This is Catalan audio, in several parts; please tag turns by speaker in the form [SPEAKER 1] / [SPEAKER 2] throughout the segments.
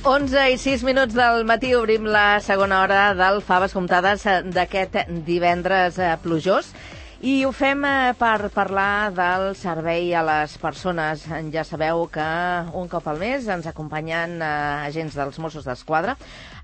[SPEAKER 1] 11:06 del matí obrim la segona hora del Faves Comptades d'aquest divendres plujós. I ho fem per parlar del servei a les persones. Ja sabeu que un cop al mes ens acompanyen agents dels Mossos d'Esquadra.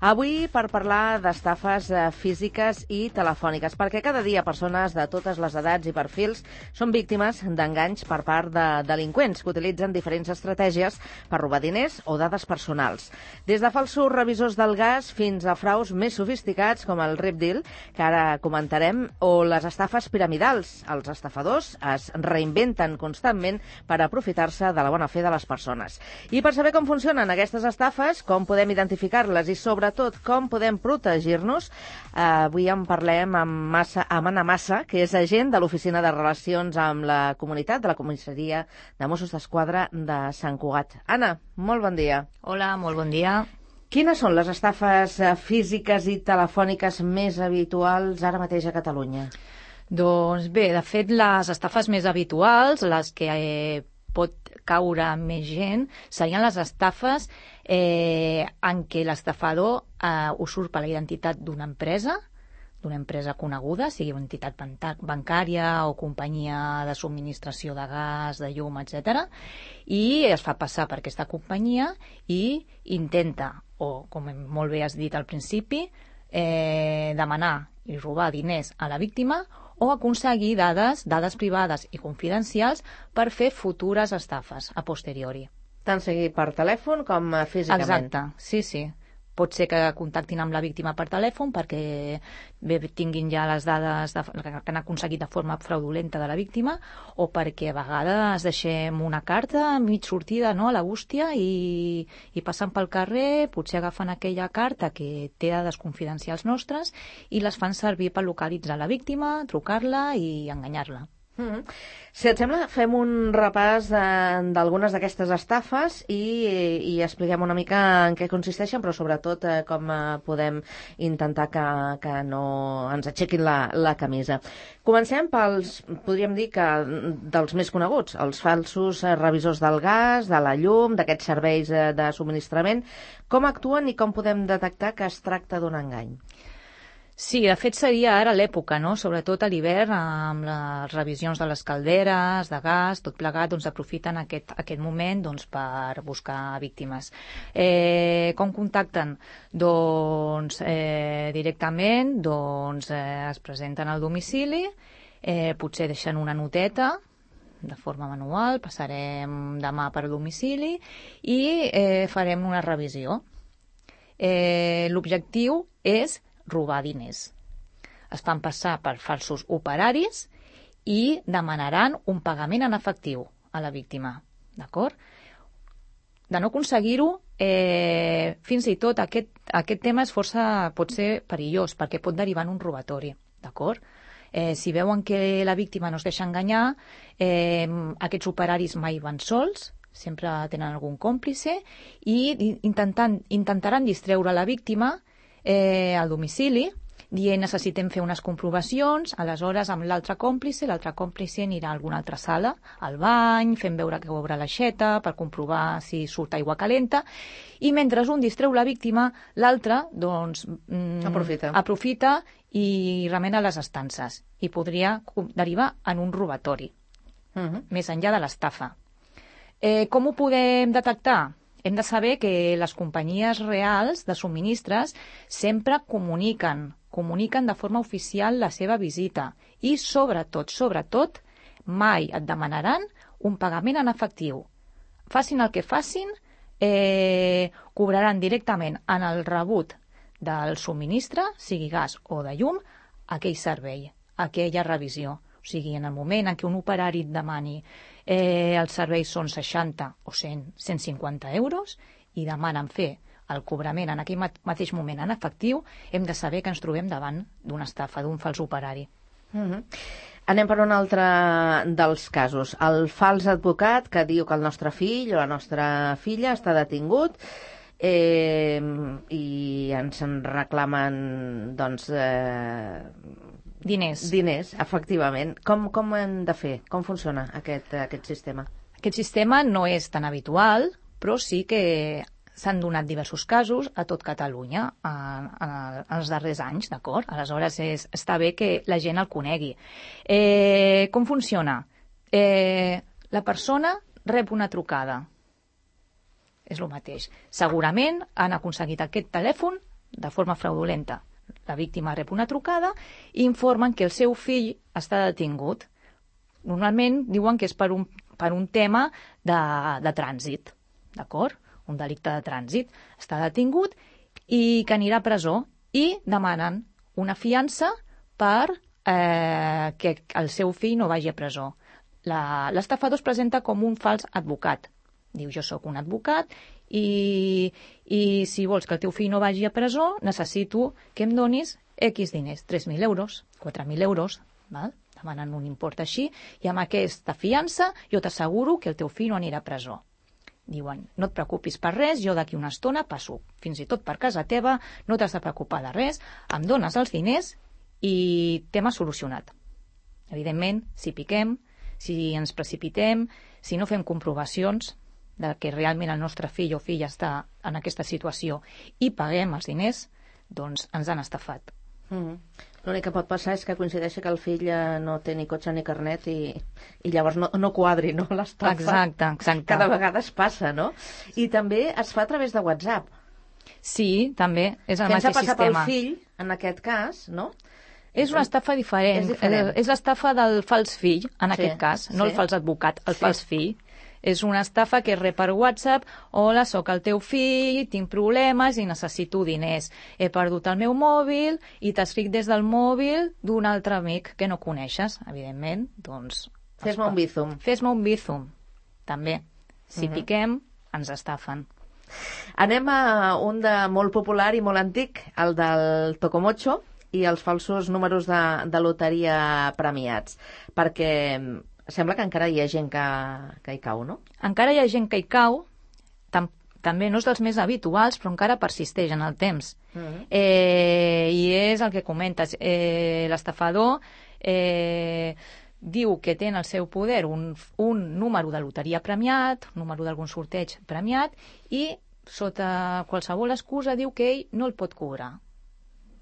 [SPEAKER 1] Avui per parlar d'estafes físiques i telefòniques, perquè cada dia persones de totes les edats i perfils són víctimes d'enganys per part de delinqüents que utilitzen diferents estratègies per robar diners o dades personals. Des de falsos revisors del gas fins a fraus més sofisticats com el Rip Deal, que ara comentarem, o les estafes piramidals. Els estafadors es reinventen constantment per aprofitar-se de la bona fe de les persones. I per saber com funcionen aquestes estafes, com podem identificar-les i sobretot com podem protegir-nos, avui en parlem amb Anna Massa, que és agent de l'Oficina de Relacions amb la Comunitat de la Comissaria de Mossos d'Esquadra de Sant Cugat. Anna, molt bon dia.
[SPEAKER 2] Hola, molt bon dia.
[SPEAKER 1] Quines són les estafes físiques i telefòniques més habituals ara mateix a Catalunya?
[SPEAKER 2] Doncs bé, de fet, les estafes més habituals, les que pot caure més gent, serien les estafes en què l'estafador usurpa la identitat d'una empresa coneguda, sigui una entitat bancària o companyia de subministració de gas, de llum, etc. I es fa passar per aquesta companyia i intenta, o com molt bé has dit al principi, demanar i robar diners a la víctima o aconseguir dades privades i confidencials per fer futures estafes a posteriori.
[SPEAKER 1] Tant sigui per telèfon com físicament.
[SPEAKER 2] Exacte, sí. Pot ser que contactin amb la víctima per telèfon perquè tinguin ja les dades que han aconseguit de forma fraudulenta de la víctima, o perquè a vegades deixem una carta mig sortida, no, a la bústia, i passant pel carrer potser agafen aquella carta que té dades confidencials nostres i les fan servir per localitzar la víctima, trucar-la i enganyar-la.
[SPEAKER 1] Si et sembla, fem un repàs d'algunes d'aquestes estafes i expliquem una mica en què consisteixen, però sobretot com podem intentar que no ens aixequin la camisa. Comencem podríem dir que dels més coneguts, els falsos revisors del gas, de la llum, d'aquests serveis de subministrament. Com actuen i com podem detectar que es tracta d'un engany?
[SPEAKER 2] Sí, de fet seria ara l'època, no? Sobretot a l'hivern, amb les revisions de les calderes, de gas, tot plegat, doncs aprofiten aquest moment per buscar víctimes. Com contacten? Doncs directament es presenten al domicili, potser deixen una noteta de forma manual, passarem demà per domicili i farem una revisió. L'objectiu és robar diners. Es fan passar per falsos operaris i demanaran un pagament en efectiu a la víctima. D'acord? De no aconseguir-ho, fins i tot aquest tema pot ser perillós perquè pot derivar en un robatori. D'acord? Si veuen que la víctima no es deixa enganyar, aquests operaris mai van sols, sempre tenen algun còmplice i intentaran distreure la víctima al domicili, dient necessitem fer unes comprovacions, aleshores amb l'altre còmplice anirà a alguna altra sala, al bany, fent veure que obre l'aixeta per comprovar si surt aigua calenta, i mentre un distreu la víctima, l'altre aprofita i remena les estances, i podria derivar en un robatori, més enllà de l'estafa. Com ho podem detectar? Hem de saber que les companyies reals de subministres sempre comuniquen de forma oficial la seva visita i, sobretot, mai et demanaran un pagament en efectiu. Facin el que facin, cobraran directament en el rebut del subministre, sigui gas o de llum, aquell servei, aquella revisió. O sigui, en el moment en què un operari et demani els serveis són 60 o 150 euros i demanen fer el cobrament en aquell mateix moment en efectiu, hem de saber que ens trobem davant d'una estafa, d'un fals operari.
[SPEAKER 1] Anem per un altre dels casos. El fals advocat que diu que el nostre fill o la nostra filla està detingut i ens en reclamen diners, efectivament. Com ho hem de fer? Com funciona aquest sistema?
[SPEAKER 2] Aquest sistema no és tan habitual, però sí que s'han donat diversos casos a tot Catalunya en els darrers anys, d'acord? Aleshores, està bé que la gent el conegui. Com funciona? La persona rep una trucada. És el mateix. Segurament han aconseguit aquest telèfon de forma fraudulenta. La víctima rep una trucada i informen que el seu fill està detingut. Normalment diuen que és per un tema de trànsit, d'acord? Un delicte de trànsit. Està detingut i que anirà a presó i demanen una fiança per que el seu fill no vagi a presó. L'estafador es presenta com un fals advocat. Diu, jo sóc un advocat i si vols que el teu fill no vagi a presó, necessito que em donis X diners, 3.000 euros, 4.000 euros, val? Demanen un import així, i amb aquesta fiança jo t'asseguro que el teu fill no anirà a presó. Diuen, no et preocupis per res, jo d'aquí una estona passo fins i tot per casa teva, no t'has de preocupar de res, em dones els diners i tema solucionat. Evidentment, si piquem, si ens precipitem, si no fem comprovacions de que realment el nostre fill o filla està en aquesta situació i paguem els diners, doncs ens han estafat.
[SPEAKER 1] L'únic que pot passar és que coincideixi que el fill no té ni cotxe ni carnet i llavors no quadri, no, l'estafa.
[SPEAKER 2] Exacte.
[SPEAKER 1] Cada vegada es passa, no? I també es fa a través de WhatsApp.
[SPEAKER 2] Sí, també, és el mateix sistema.
[SPEAKER 1] Pensa passar pel fill, en aquest cas, no?
[SPEAKER 2] És una estafa diferent. És l'estafa del fals fill, en aquest cas, no el fals advocat, el fals fill. És una estafa que rep per WhatsApp, hola, sóc el teu fill, tinc problemes i necessito diners. He perdut el meu mòbil i t'escric des del mòbil d'un altre amic que no coneixes, evidentment. Doncs,
[SPEAKER 1] fes-me un bízum.
[SPEAKER 2] Fes-me un bízum, també. Si piquem, ens estafen.
[SPEAKER 1] Anem a un de molt popular i molt antic, el del Tocomocho i els falsos números de loteria premiats, perquè sembla que encara hi ha gent que hi cau, no?
[SPEAKER 2] Encara hi ha gent que hi cau, també no és dels més habituals, però encara persisteix en el temps. I és el que comentes. L'estafador diu que té en el seu poder un número de loteria premiat, un número d'algun sorteig premiat, i sota qualsevol excusa diu que ell no el pot cobrar.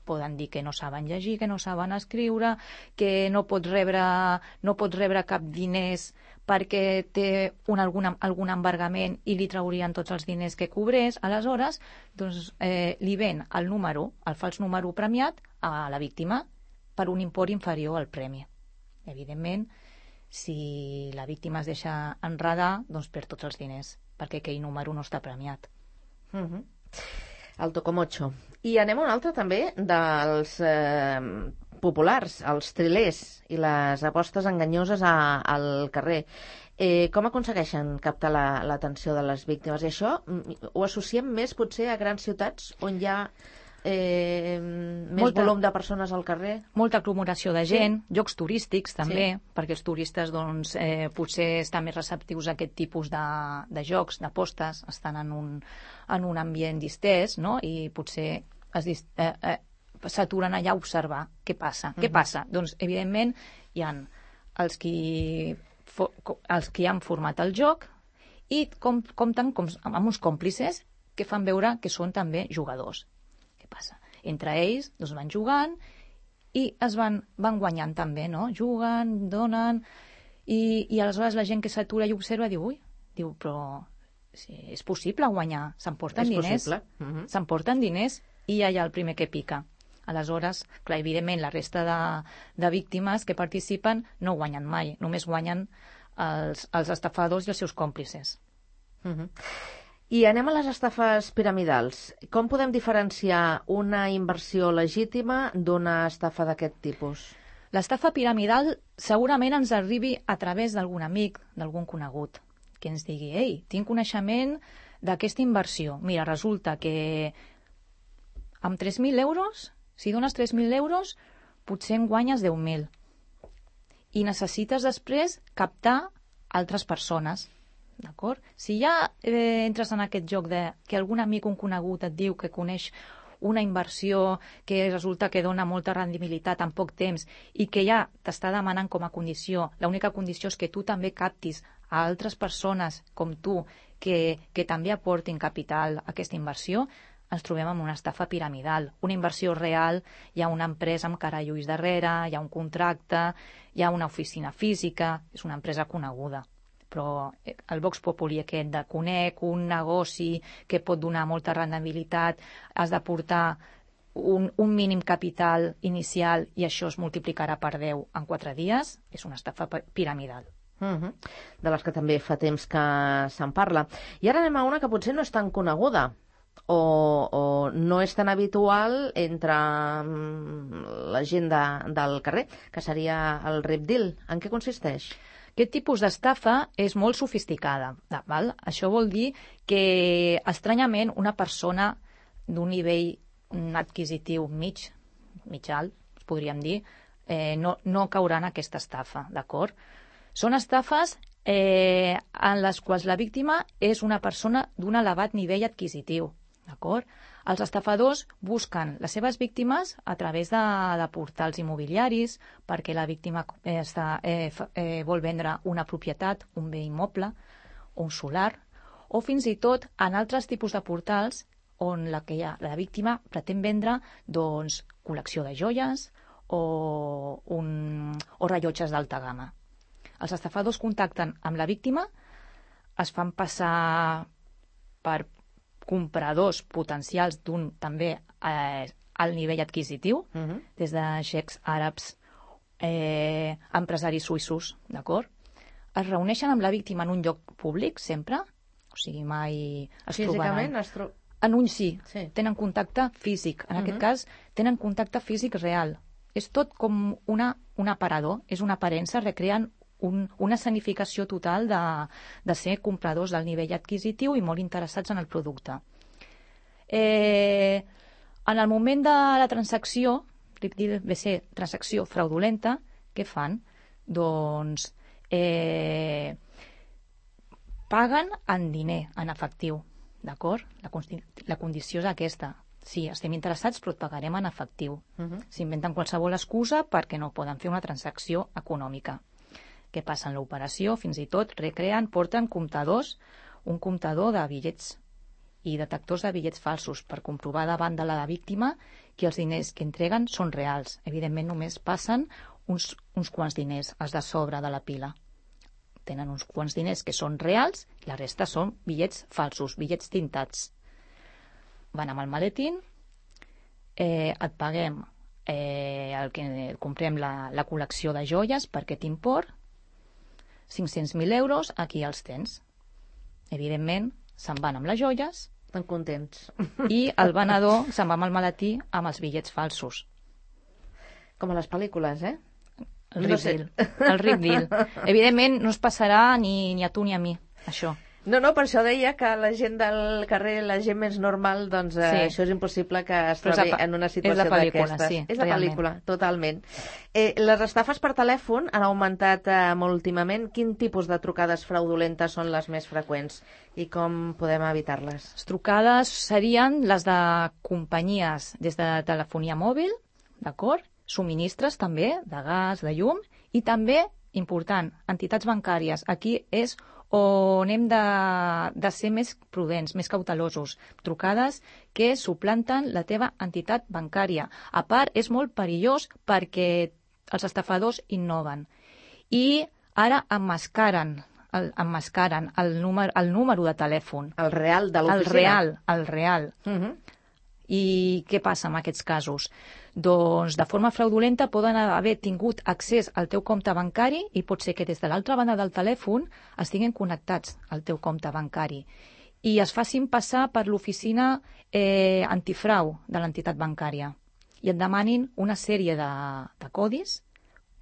[SPEAKER 2] Poden dir que no saben llegir, que no saben escriure, que no pot rebre cap diners perquè té algun embargament i li traurien tots els diners que cobrés. Aleshores, doncs, li ven el fals número premiat a la víctima per un import inferior al premi. Evidentment, si la víctima es deixa enredar, doncs perd tots els diners, perquè aquell número no està premiat.
[SPEAKER 1] El Tocomocho. I anem a un altre també dels populars, els trilers i les apostes enganyoses al carrer. Com aconsegueixen captar l'atenció de les víctimes? I això ho associem més potser a grans ciutats on hi ha més volum de persones al carrer? Molta
[SPEAKER 2] aglomeració de gent, llocs turístics també, perquè els turistes doncs, potser estan més receptius a aquest tipus de jocs, d'apostes, estan en un ambient distès, no? I potser s'aturen allà a observar què passa. Què passa? Doncs, evidentment, hi ha els qui han format el joc i compten amb uns còmplices que fan veure que són també jugadors. Què passa? Entre ells doncs, van jugant i es van guanyant també, no? Juguen, donen, i aleshores la gent que s'atura i observa diu, però sí, és possible guanyar, s'emporten diners. S'emporten diners i ja hi ha el primer que pica. Aleshores, clar, evidentment, la resta de víctimes que participen no guanyen mai, només guanyen els estafadors i els seus còmplices.
[SPEAKER 1] I anem a les estafes piramidals. Com podem diferenciar una inversió legítima d'una estafa d'aquest tipus?
[SPEAKER 2] L'estafa piramidal segurament ens arribi a través d'algun amic, d'algun conegut, que ens digui, ei, tinc coneixement d'aquesta inversió. Mira, resulta que amb 3.000 euros, si dones 3.000 euros, potser en guanyes 10.000. I necessites després captar altres persones. D'acord? Si ja entres en aquest joc de que algun amic, un conegut, et diu que coneix una inversió que resulta que dona molta rendibilitat en poc temps i que ja t'està demanant com a condició, l'única condició és que tu també captis a altres persones com tu que també aportin capital a aquesta inversió, ens trobem amb una estafa piramidal. Una inversió real, hi ha una empresa amb cara i ulls darrere, hi ha un contracte, hi ha una oficina física, és una empresa coneguda. Però el Vox Populi aquest de conec un negoci que pot donar molta rendibilitat, has d'aportar un mínim capital inicial i això es multiplicarà per 10 en 4 dies, és una estafa piramidal.
[SPEAKER 1] De les que també fa temps que se'n parla. I ara anem a una que potser no és tan coneguda o no és tan habitual entre la gent del carrer, que seria el Rip Deal. En què consisteix?
[SPEAKER 2] Aquest tipus d'estafa és molt sofisticada. Val? Això vol dir que, estranyament, una persona d'un nivell adquisitiu mig alt, podríem dir, no caurà en aquesta estafa, d'acord? Són estafes en les quals la víctima és una persona d'un elevat nivell adquisitiu, d'acord? Els estafadors busquen les seves víctimes a través de portals immobiliaris perquè la víctima vol vendre una propietat, un bé immoble, un solar, o fins i tot en altres tipus de portals on la víctima pretén vendre doncs, col·lecció de joies o rellotges d'alta gamma. Els estafadors contacten amb la víctima, es fan passar per compradors potencials d'un també alt nivell adquisitiu, des de xecs àrabs, empresaris suïssos, d'acord? Es reuneixen amb la víctima en un lloc públic, sempre, o sigui, mai es trobaran. En un sí, tenen contacte físic. En aquest cas, tenen contacte físic real. És tot com un aparador, és una aparença, recreen una escenificació total de ser compradors del nivell adquisitiu i molt interessats en el producte. En el moment de la transacció, ve ser transacció fraudulenta, què fan? Doncs paguen en diner, en efectiu, d'acord? La condició és aquesta. Sí, estem interessats, però et pagarem en efectiu. S'inventen qualsevol excusa perquè no poden fer una transacció econòmica. Què passa en l'operació? Fins i tot porten comptadors, un comptador de bitllets i detectors de bitllets falsos per comprovar davant de la víctima que els diners que entreguen són reals. Evidentment només passen uns quants diners, els de sobre de la pila. Tenen uns quants diners que són reals i la resta són bitllets falsos, bitllets tintats. Van amb el maletín, et paguem el que comprem la col·lecció de joies per aquest import, 500.000 euros, aquí els tens. Evidentment, se'n van amb les joies.
[SPEAKER 1] Estan contents.
[SPEAKER 2] I el venedor se'n va amb el maletí amb els bitllets falsos.
[SPEAKER 1] Com a les pel·lícules, eh?
[SPEAKER 2] El Rip Deal. Evidentment, no es passarà ni a tu ni a mi, això.
[SPEAKER 1] No, per això deia que la gent del carrer, la gent més normal, doncs això és impossible que es trobi en una situació d'aquestes.
[SPEAKER 2] Sí,
[SPEAKER 1] és la pel·lícula, totalment. Les estafes per telèfon han augmentat molt últimament. Quin tipus de trucades fraudulentes són les més freqüents i com podem evitar-les?
[SPEAKER 2] Les trucades serien les de companyies des de telefonia mòbil, d'acord? Subministres també, de gas, de llum, i també, important, entitats bancàries. Aquí és on hem de ser més prudents, més cautelosos. Trucades que suplanten la teva entitat bancària. A part, és molt perillós perquè els estafadors innoven. I ara emmascaren el número de telèfon.
[SPEAKER 1] El real de l'oficina.
[SPEAKER 2] El real. I què passa en aquests casos? Doncs de forma fraudulenta poden haver tingut accés al teu compte bancari i pot ser que des de l'altra banda del telèfon estiguin connectats al teu compte bancari i es facin passar per l'oficina antifrau de l'entitat bancària i et demanin una sèrie de codis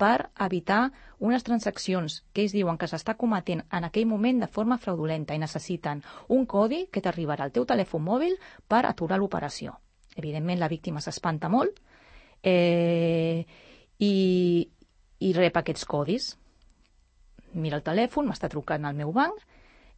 [SPEAKER 2] per evitar unes transaccions que ells diuen que s'està cometent en aquell moment de forma fraudulenta i necessiten un codi que t'arribarà al teu telèfon mòbil per aturar l'operació. Evidentment, la víctima s'espanta molt i rep aquests codis. Mira el telèfon, m'està trucant al meu banc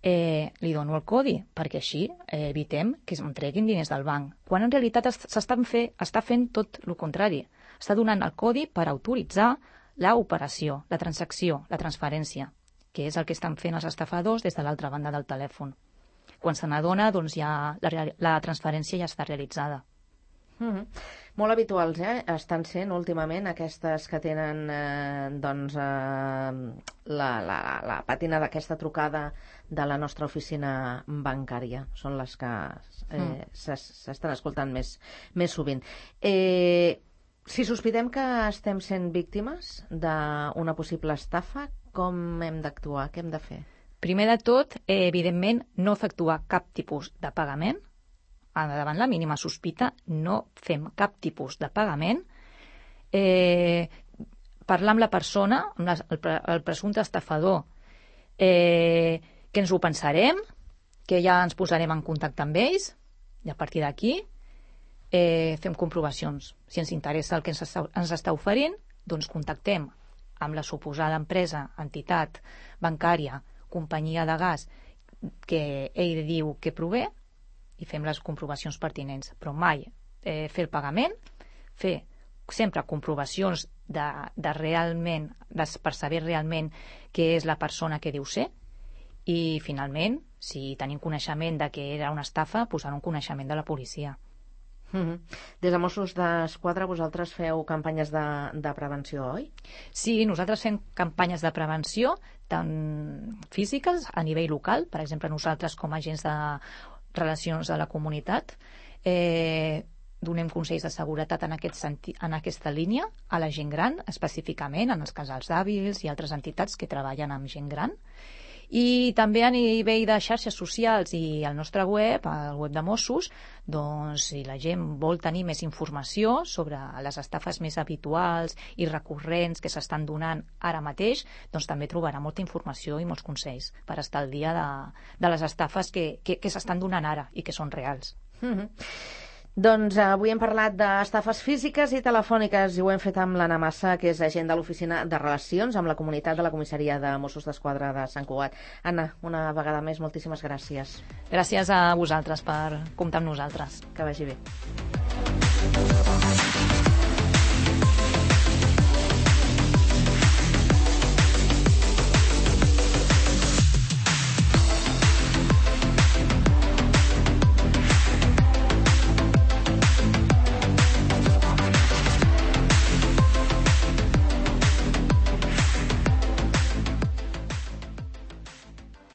[SPEAKER 2] li dono el codi, perquè així evitem que em treguin diners del banc. Quan en realitat està fent tot el contrari. Està donant el codi per autoritzar l'operació, la transacció, la transferència, que és el que estan fent els estafadors des de l'altra banda del telèfon. Quan se n'adona, doncs ja la transferència ja està realitzada.
[SPEAKER 1] Molt habituals, estan sent últimament aquestes que tenen la pàtina d'aquesta trucada de la nostra oficina bancària. Són les que s'estan escoltant més sovint. Si sospitem que estem sent víctimes d'una possible estafa, com hem d'actuar? Què hem de fer?
[SPEAKER 2] Primer de tot, evidentment, no efectuar cap tipus de pagament. Davant la mínima sospita, no fem cap tipus de pagament. Parlar amb la persona, amb el presumpte estafador, que ens ho pensarem, que ja ens posarem en contacte amb ells, i a partir d'aquí fem comprovacions. Si ens interessa el que ens està oferint, doncs contactem amb la suposada empresa, entitat bancària, companyia de gas que ell diu que prové, i fem les comprovacions pertinents, però mai fer el pagament, fer sempre comprovacions per saber realment què és la persona que diu ser, i finalment, si tenim coneixement de que era una estafa, posar un coneixement de la policia.
[SPEAKER 1] Des de Mossos d'Esquadra vosaltres feu campanyes de prevenció, oi?
[SPEAKER 2] Sí, nosaltres fem campanyes de prevenció tant físiques a nivell local, per exemple nosaltres com a agents de relacions de la comunitat, donem consells de seguretat en aquesta línia a la gent gran, específicament en els casals d'avis i altres entitats que treballen amb gent gran, i també a nivell de xarxes socials i al nostre web, al web de Mossos, doncs si la gent vol tenir més informació sobre les estafes més habituals i recurrents que s'estan donant ara mateix, doncs també trobarà molta informació i molts consells per estar al dia de les estafes que s'estan donant ara i que són reals.
[SPEAKER 1] Doncs avui hem parlat d'estafes físiques i telefòniques i ho hem fet amb l'Anna Massa, que és agent de l'Oficina de Relacions amb la Comunitat de la Comissaria de Mossos d'Esquadra de Sant Cugat. Anna, una vegada més, moltíssimes gràcies.
[SPEAKER 2] Gràcies a vosaltres per comptar amb nosaltres.
[SPEAKER 1] Que vagi bé.